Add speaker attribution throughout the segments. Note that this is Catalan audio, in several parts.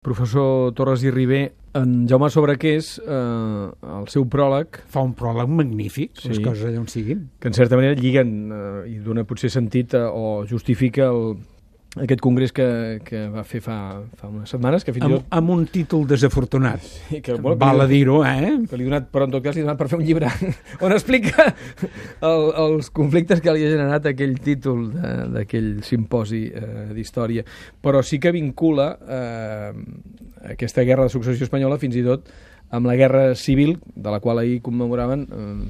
Speaker 1: Professor Torres i Ribé, en Jaume Sobrequés, el seu pròleg...
Speaker 2: Fa un pròleg magnífic, sí, les coses allà on siguin.
Speaker 1: Que en certa manera lliguen i dona potser sentit o justifica aquest congrés que va fer fa unes setmanes, que fins i tot...
Speaker 2: Amb un títol desafortunat. Sí,
Speaker 1: que,
Speaker 2: val a dir-ho,
Speaker 1: Que li ha donat, però en tot cas li ha donat per fer un llibre on explica els conflictes que li ha generat aquell títol d'aquell simposi d'història. Però sí que vincula aquesta guerra de successió espanyola fins i tot amb la guerra civil, de la qual ahir commemoraven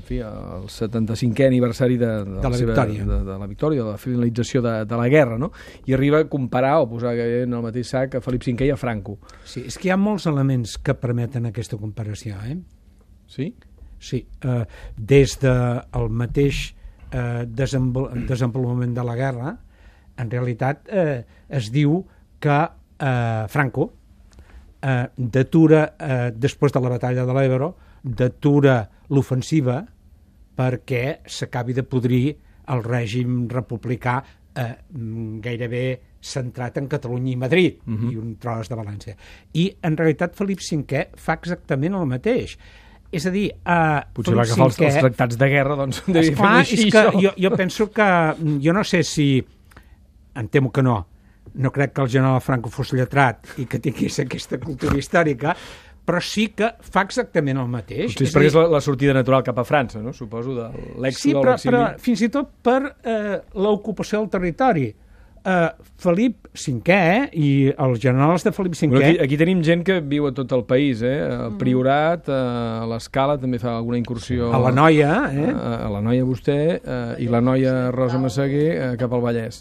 Speaker 1: el 75è aniversari de la victòria, de la finalització de la guerra, no? I arriba a comparar o posar en el mateix sac a Felip V i a Franco.
Speaker 2: Sí, és que hi ha molts elements que permeten aquesta comparació,
Speaker 1: Sí?
Speaker 2: Sí, des del mateix desenvolupament de la guerra, en realitat es diu que Franco d'atura, després de la batalla de l'Ebro, d'atura l'ofensiva perquè s'acabi de podrir el règim republicà gairebé centrat en Catalunya i Madrid i un tros de València. I en realitat Felip V fa exactament el mateix. És a dir,
Speaker 1: potser va agafar els tractats de guerra, doncs devia fer així.
Speaker 2: És que jo penso que, jo no sé si, em temo que no crec que el general Franco fos lletrat i que tingués aquesta cultura històrica, però sí que fa exactament el mateix.
Speaker 1: Potser és perquè és la sortida natural cap a França, no? Suposo, de l'èxit o l'exili.
Speaker 2: Sí, però fins i tot per l'ocupació del territori. Felip V i els generals de Felip V...
Speaker 1: Bueno, aquí tenim gent que viu a tot el país, El Priorat, a l'Escala també fa alguna incursió...
Speaker 2: A la Noia,
Speaker 1: A la Noia vostè, i la Noia Rosa Massaguer cap al Vallès.